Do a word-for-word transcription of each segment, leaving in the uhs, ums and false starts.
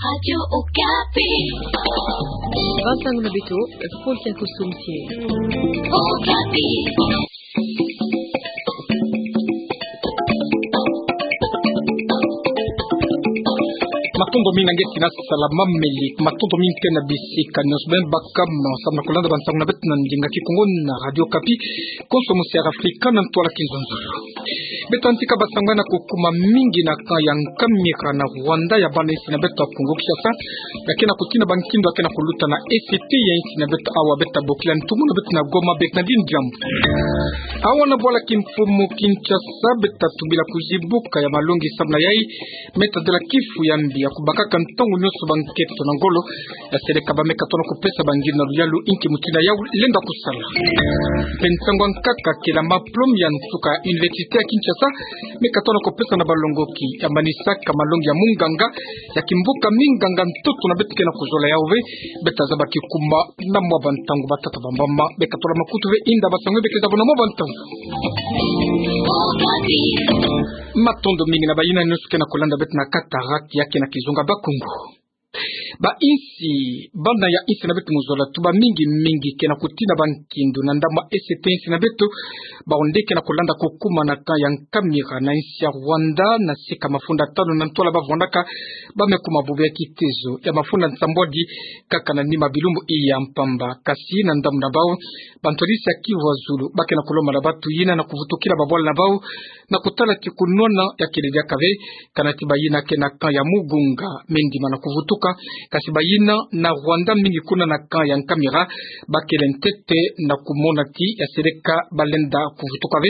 Radio Okapi. Bansango na beto, Paul Kiakusumtie. Okapi. Matondo mingi na nge tina sala mameli, matondo mingi ke na bisika nyonso beno baka, samu na kulanda bansango na beto na ndinga Kikongo na Radio Okapi, konso mosiara Afrika na ntwala Kinzonzolo. Beto yantika bansango na kukuma mingi na camp ya Nkamira na Rwanda, ya bana insi na beto ya Kongo Kinshasa, ya ke na kutina bankindo ya ke na kuluta na esti ya insi na beto, awa beto tabokila ntumwa na beto na Goma, Bernardine Diambu. Awa na bwala kimfumu Kinshasa, beto tubila kuzibuka ya malongi samu na yai, me tadila kifu ya mbi ya kubakaka ntangu nyonso bankento na ngolo, ya seleka ba me katona kupesa bangilu na luyalu. Inki mutindu yau lenda kusala? Mpe nsangu ya nkaka kele maplome ya nsuka ya Université ya Kinshasa me katona kupesa na balongoki ya manisaka malongi ya munganga ya kimbuka minganga ntoto na beto ke na kuzola yau ve. Beto tazaba kikuma na mwa bantangu, batata bamama, beto katula makutu ve, inda bansangu bekeza bo na mwa bantangu. Matondo mingi na bayina nyonso ke na kulanda beto na Cataractes ya ke na kizunga Bakongo. Ba insi, bana ya insi na beto mu zola, tuba mingi mingi ke na kutina bankindo na ndambu esti ya insi na beto, bawu nde ke na kulanda kukuma na camp ya Nkamira na insi ya Rwanda, na sika mafunda tanu na ntwala bavwandaka, ba me kuma bubu ya kitezo ya mafunda nsambwadi kaka na nima bilumbu iya mpamba. Kasi na ndambu na bawu, bantu ya insi ya Kivu ya Zulu ba ke na kulomba na batu yina na kuvutukila babwala na bawu, na kutala ti kunwana ya kele diaka ve, kana ti bayina ke na camp ya Mugunga me ndima na kuvutuka, kasi bayina na Rwanda mingi kuna na camp ya Nkamira, ba kele ntete na kumona ti ya seleka ba lenda kuvutuka ve.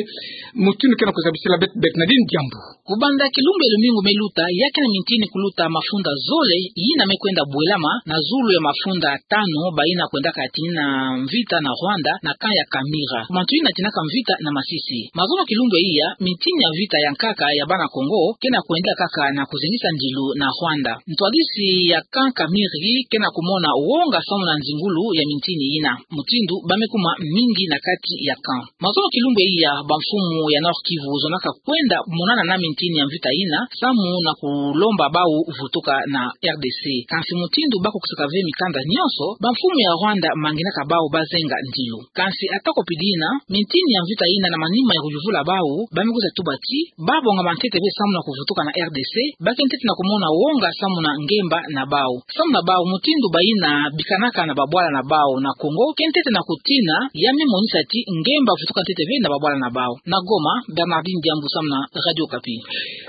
Mutindu ke na kuzabisila beto Bernardine Diambu. Kubanda kilumbu ya lumingu me luta, ya ke na mintini kuluta mafunda zole yina me kwenda bwelama na zulu ya mafunda tanu bayina kwendaka tina mvita na Rwanda na camp ya Nkamira. Bantu yina tinaka mvita na Masisi. Mazono kilumbu ya iya, mintini ya mvita ya nkaka ya bana Kongo ke na kwenda kaka na kuzengisa ndilu na Rwanda. Ntwadisi ya camp Nkamira ke na kumona wonga samu na nzingulu ya mintini yina, mutindu ba me kuma mingi na kati ya camp. Mazono kilumbu ya iya, bamfumu ya Nord-Kivu zonaka kwenda monana na mintini ya mvita yina, samu na kulomba bawu vutuka na R D C. Kansi mutindu ba kukisaka ve mikanda nyonso, bamfumu ya Rwanda manginaka bawu bazenga ndilu. Kansi ata ko pidi yina, mintini ya mvita yina na manima ya kuyuvula bawu, ba me kwiza tuba ti babonga mantete ve samu na kuvutuka na R D C, ba ke ntete na kumona wonga samu na ngemba na bawu. Samu na bawu, mutindu bayina bikanaka na babwala na bawu na Kongo ke ntete na kutina ya me monisa ti ngemba vutuka ntete ve na babwala na bawu. Na Goma, Bernardine Diambu samu na Radio Okapi.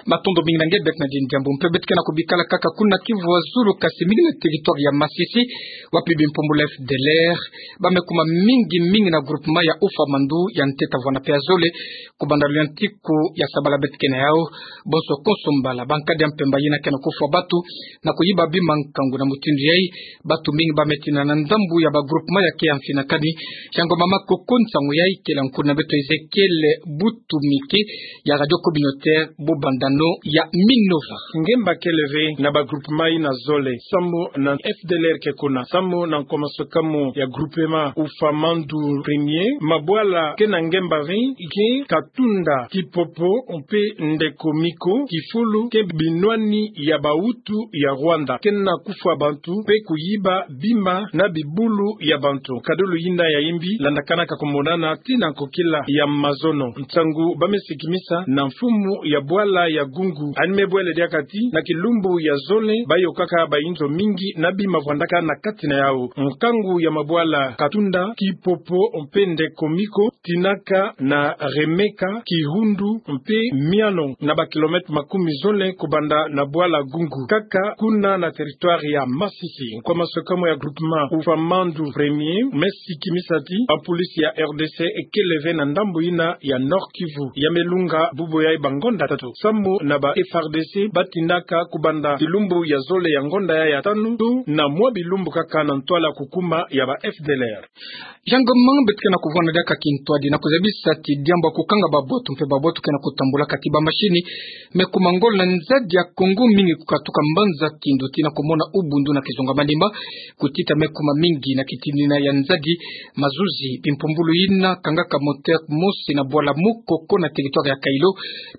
Matondo mingi na nge Bernardine Diambu. Mpe beto ke na kubikala kaka kuna Kivu ya Zulu, kasi mingi na territoire ya Masisi, wapi bimpumbulu ya F D L R ba me kuma mingi mingi na groupement ya Ufa Mandu, ya ntete vwanda mpe ya zole, kubanda luyantiku ya sabala beto ke na yau. Bonso konso mbala, bankadi ya mpemba yina ke na kufwa batu na kuyiba bima nkangu. Na mutindu yai, batu mingi ba me tina na ndambu ya ba groupement ya ke ya mfinakani. Yango mama koko nsangu yai kele nkulu na beto Ezekiel Butumike ya Radio Communautaire Bubandano ya Minova. Ngemba kele ve na ba groupement yina zole, samu na F D L R ke kuna, samu na nkomasokamu ya groupement Ufa Mandu premier, mabwala ke na ngemba ve ke Katunda, Kipopo mpe Ndekomiko, kifulu ke binwani ya ba Hutu ya Rwanda, ke na kufwa bantu mpe kuyiba bima na bibulu ya bantu. Nkadulu yina ya yimbi landakanaka kumonana tii na nkokila ya mazono. Nsangu ba me sikimisa na mfumu ya bwala ya Gungu, yandi me bwela diaka ti na kilumbu ya zole ba yokaka bayinzo mingi na bima vwandaka na kati na yau. Nkangu ya mabwala Katunda, Kipopo mpe Ndekomiko tinaka na Remeka, Kihundu mpe Miano, na ba kilomètre makumi zole kubanda na bwala Gungu, kaka kuna na territoire ya Masisi. Nkomasokamu ya groupement Ufa Mandu premier me sikimisa ti ba police ya R D C kele ve na ndambu yina ya Nord-Kivu, ya me lunga bubu yai ba ngonda tatu, samu na ba F A R D C ba tinaka kubanda kilumbu ya zole ya ngonda yai ya tanu, tii na mwa bilumbu kaka na ntwala kukuma ya ba F D L R. Yango mama, beto ke na kuvwanda diaka kintwadi na kuzabisa ti diambu ya kukanga ba boto mpe ba boto ke na kutambula kati ba machine me kuma ngolo na nzadi ya Kongo mingi kukatuka mbanza kindo tii na mona ubundu na kizunga manima, kutita meko mamingi na kitinina ya nzadi, mazuzi, bimpumbulu yina kangaka moteur mosi na bwala Mukoko na territoire ya Kailo.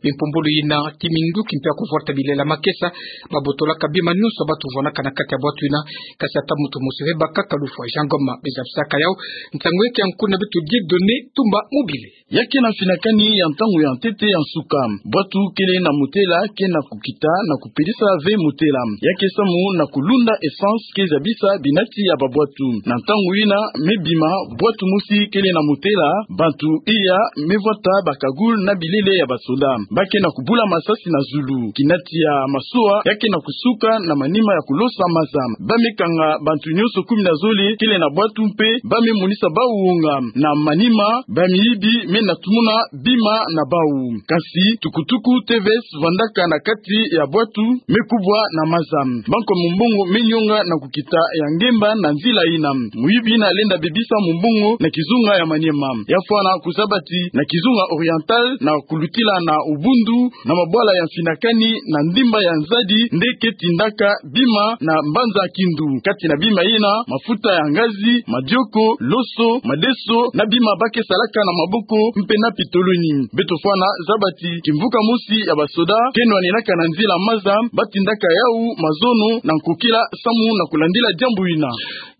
Bimpumbulu yina ti minduki mpe ya kuvolta bilela makesa, babotolaka bima nyonso batu vwanaka na kati ya bwatu yina, kasi ata muntu mosi ve bakaka lufwa. Jean Ngoma bezabisaka yau, ntangu ya ke ya nku na beto Dieudonné Tumba Mobile. Ya ke na mfinakani ya ntangu ya ntete ya nsuka, bwatu kele na motela ke na kukita na kupelisa ve motela. Ya ke samu na kulunda essence ke zabisa binati ya babwatu. Na ntangu yina me bima, bwatu mosi kele na motela, bantu iya me vwata bakagul na bilele ya basoda. Ba ke na kubula masasi na zulu. Kinati ya masoa ya ke na kusuka na manima ya kulosa maza. Ba me kanga bantu nyonso kumi na zole kele na bwatu mpe ba me monisa bau wonga. Na manima, bamiyibi me na tumuna bima na bau. Kasi tukutuku T V S vwandaka na kati ya bwatu me kubwa na maza. Banko ya mumbongo me nyonga na kukita ya ngemba na nzila yina. Muyibi yina lenda bebisa mumbongo na kizunga ya Maniema. Ya fwana kuzaba ti na kizunga Oriental na kulutila na ubundu na mabwala ya mfinakani na ndimba ya nzadi nde ke tindaka bima na mbanza Kindu. Kati na bima yina, mafuta ya ngazi, madioko, loso, madeso, na bima ba ke salaka na maboko mpe na pitoloni. Beto fwana zaba ti kimvuka mosi ya basoda ke nwanenaka na nzila maza, ba tindaka yau mazono na nkokila samu na kulandila diambu yina.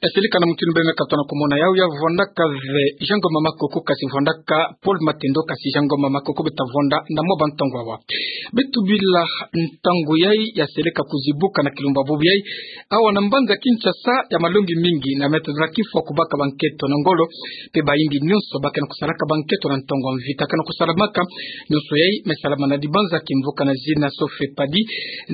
Esili kana mutindu beno me katuka na kumona yau, ya vwandaka ve Jean Ngoma Makoko, kasi vwandaka Paul Matendo, kasi Jean Ngoma Makoko beta vwanda na mwa bantangu awa. Beto bila ntangu yai ya seleka kuzibuka na kilumbu bubu yai. Awa na mbanza Kinshasa, ya malongi mingi na meta na kifwa kubaka bankento na ngolo, mpe bayimbi nyonso ba ke na kusalaka bankento na ntangu ya mvita ke na kusalamaka. Nyonso yai me salama na dibanza kimvuka na zina Sofepadi,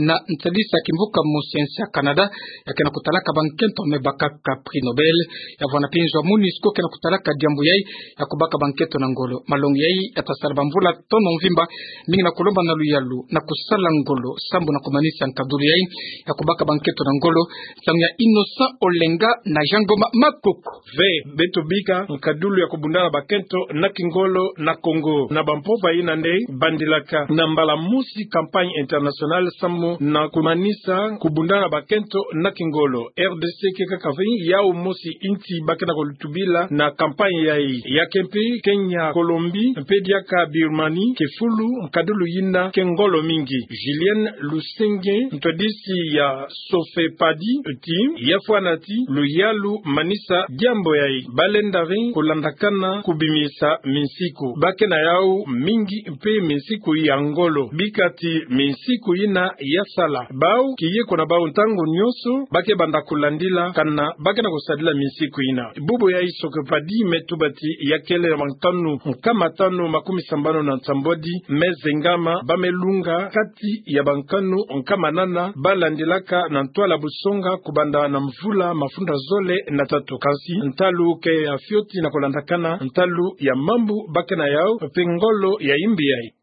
na nsadisa kimvuka mosensi ya Canada, ya ke na kutalaka bankento me bakaka prix Nobel. Ya vwana mpe nzo ya MONUSCO ke na kutalaka diambu yai ya kubaka bankento na ngolo. Malongi yai ya ta sala bamvula tono mvimba, mingi na kulomba na luyalu na kusala ngolo sambu na kumanisa nkadulu yai ya kubaka bankento na ngolo. Nsangu ya Innocent Olenga na Jean Ngoma Makoko. Ve, beto bika nkadulu ya kubunda na bakento na kingolo na Congo. Na bampova yina nde bandilaka na mbala mosi campagne internationale sambu na kumanisa kubunda na bakento na kingolo. R D C ke kaka ve yau mosi insi ba ke na kulutubila na campagne yai. Ya ke mpe Kenya, Colombie, mpe diaka Birmanie, ke fulu nkadulu yina ke ngolo mingi. Julienne Lusenge, ntwadisi ya Sofepadi, ti ya fwana ti luyalu manisa diambu yai. Ba lenda ve kulandakana kubimisa minsiku. Ba ke na yau mingi mpe minsiku ya ngolo. Bika ti minsiku yina ya sala. Bau kiye kuna bau ntangu nyonso ba ke banda kulandila kana ba ke na kusadila minsiku yina. Bubu yai Sofepadi me tuba ti ya kele na bankanu nkama tanu makumi sambanu na nsambwadi me zengama, ba me lunga kati ya bankanu nkama nana ba landilaka na ntwala busonga kubanda na mvula mafunda zole na tatu. Kansi ntalu ke ya fioti na kulandakana ntalu ya mambu ba ke na yau mpe ngolo ya imbi yai.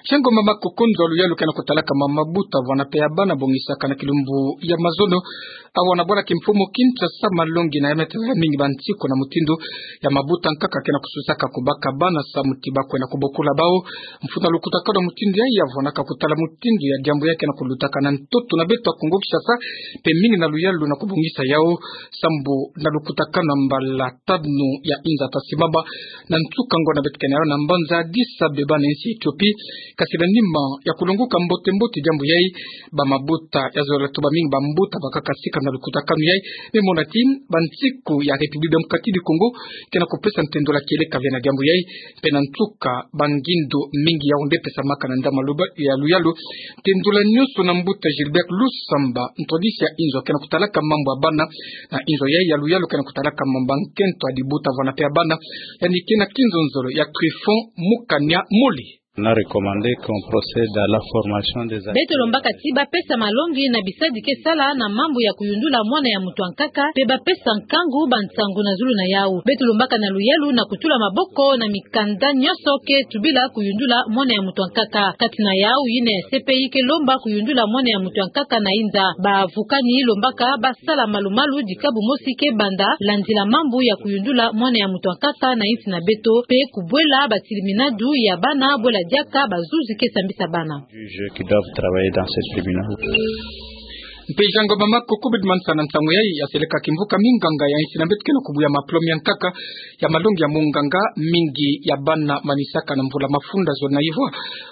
Jean Ngoma Makoko, nzo ya luyalu ke na kutalaka mama mabuta vwana mpe ya bana bongisaka na kilumbu ya mazono. Awa na bwala kimfumu Kinshasa, malongi na ya meta ya mingi bansiku na mutindu ya mabuta nkaka ke na kususaka kubaka bana samu ti ba kwenda kubokula bau. Mfunu ya lukutakanu ya mutindu yai ya vwanaka kutala mutindu ya diambu yai ke na kulutaka na ntoto na beto ya Kongo Kinshasa, mpe mingi na luyalu na kubongisa yau sambu na lukutakanu ya mbala tanu ya inza ta simama na nsuka ngolo na beto kena yau na mbanza Addis Abeba na insi Ethiopie. Kasi na nima ya kulonguka mbote mbote diambu yai, bamabuta, ya zola tuba mingi bambuta bakaka sika na lukutakanu yai, me mona ti bansiku ya République Démocratique du Congo ke na kupesa ntendola kieleka ve na diambu yai, mpe na nsuka bangindu mingi yau nde pesamaka na ndama luba ya luyalu. Ntendola nyonso na mbuta Gilbert Lusamba, ntwadisi ya inzo ke na kutalaka mambu ya bana, na inzo yai ya luyalu ke na kutalaka mambu ya nkento ya dibuta vwana mpe ya bana. Yandi ke na kinzonzolo ya Trifon Mukanya Mole. On a recommandé qu'on procède à la formation des... Beto lombaka ti ba pesa malongi na bisadi ke sala na mambu ya kuyundula mwana ya muntu ya nkaka, mpe ba pesa nkangu bansangu na zulu na yau. Beto lombaka na luyalu na kutula maboko na mikanda nyonso ke tubila kuyundula mwana ya muntu ya nkaka. Kati na yau yina ya C P I ke lomba kuyundula mwana ya muntu ya nkaka na inza. Bavukani lombaka ba sala malu-malu dikabu mosi ke banda, landila mambu ya kuyundula mwana ya muntu ya nkaka na insi na beto, mpe kubwela batiliminadu ya bana, bwela diaka bazuzi ke sambisa bana. Juges qui doivent travailler dans ce tribunal. Mpe Jean Ngoma Makoko bidi manisaka na nsangu yayi, ya seleka kimvuka minganga ya insi na beto ke na kubuya mapolome ya nkaka ya malongi ya munganga, mingi ya bana manisaka na mvula mafunda zole na ivwa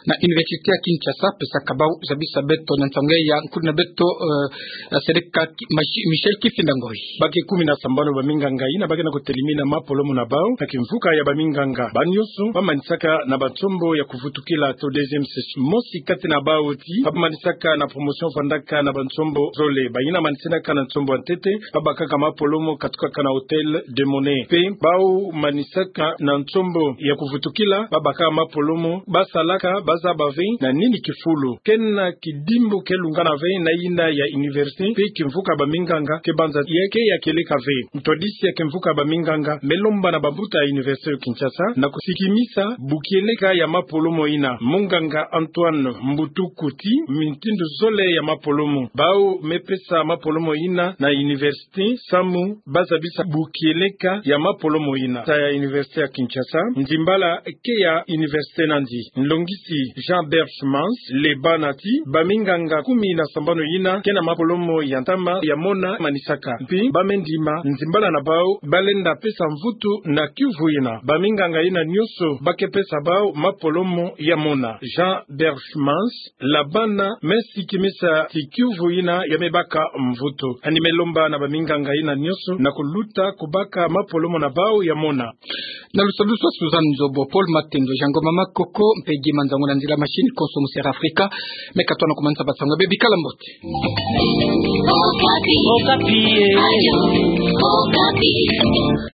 na Université ya Kinshasa. Pesaka bau zabisa beto na nsangu yayi ya nkudi na beto, eh, ya seleka ki-, Machi-, Michel Kifinda Ngoi. Ba ke kumi na sambanu ba minganga yina ba ke na kutelimina mapolomo na bau na kimvuka ya ba minganga. Bau nyonso ba manisaka na ba nsombo ya kuvutukila to deuxième session. Mosi kati na bau ti ba manisaka na promotion vandaka na ba nsombo zole. Bayina manisinaka na nsombo ya ntete ba bakaka mapolomo katukaka na Hôtel de Monet. Mpe bau manisaka na nsombo ya kuvutukila ba bakaka mapolomo, ba salaka, ba zaba ve na nini kifulu. Ke na kidimbu ke lungana ve na yina ya université, mpe kimvuka ba minganga ke banza ya ke ya kieleka ve. Ntwadisi ya kimvuka ba minganga me lomba na bambuta ya Université ya Kinshasa na kusikimisa bukieleka ya mapolomo yina. Munganga Antoine Mbutuku ti: mutindu zole ya mapolomo bau me pesa mapolomo yina na université, samu ba zabisa bukieleka ya mapolomo yina. Sa ya Université ya Kinshasa, ndimbala ke ya université nandi. Nlongisi Jean Berchmans Lebana ti ba minganga kumi na sambanu yina ke na mapolomo ya ntama ya mona manisaka. Mpe ba me ndima ndimbala na bau ba lenda pesa mvutu na kiuvu yina. Ba minganga yina nyonso ba ke pesa bau mapolomo ya mona. Jean Berchmans Lebana me sikimisa ti kiuvu yina ya me baka mvutu. Ani me lomba na ba minganga yina nyonso na kuluta kubaka mapolomo na bau ya mona. Na lusadusu a Suzanne Nzobo, Paul Matendo, Jean Ngoma Makoko, mpe Guy Manzangu na nzila machine, konso mu Sera Afrika, me katona kumanisa ba nsangu ya bebi. Bikala mbote. Okapi. Okapi, eh. Radio Okapi.